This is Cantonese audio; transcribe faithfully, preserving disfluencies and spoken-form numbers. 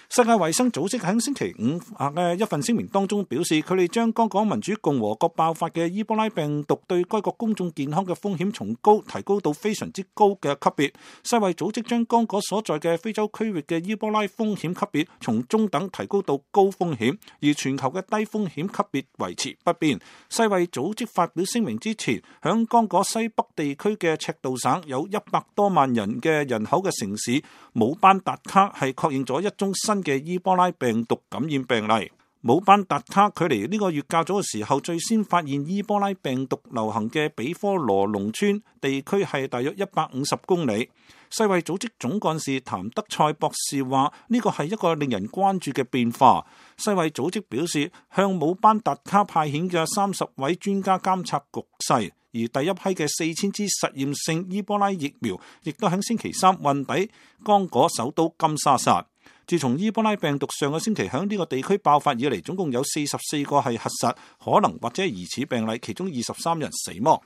世界衛生組織喺星期五嘅一份聲明當中表示，佢哋將剛果民主共和國爆發嘅伊波拉病毒對該國公眾健康嘅風險從高提高到非常之高嘅級別。世衛組織將剛果所在嘅非洲區域嘅伊波拉風險級別從中等提高到高風險，而全球嘅低風險級別維持不變。世衛組織發表聲明之前，響剛果西北地區嘅赤道省有一百多萬人嘅人口嘅城市姆班達卡係確認咗一宗新嘅伊波拉病毒感染病例。姆班達卡距離呢個月較早嘅時候最先發現伊波拉病毒流行嘅比科羅農村地區係大約一百五十公里。世衛組織總幹事譚德塞博士話：呢個係一個令人關注嘅變化。世衛組織表示，向姆班達卡派遣嘅三十位專家監察局勢，而第一批嘅四千支實驗性伊波拉疫苗亦都喺星期三運抵剛果首都金沙薩。自從伊波拉病毒上個星期喺呢個地區爆發以嚟，總共有四十四個係核實可能或者疑似病例，其中二十三人死亡。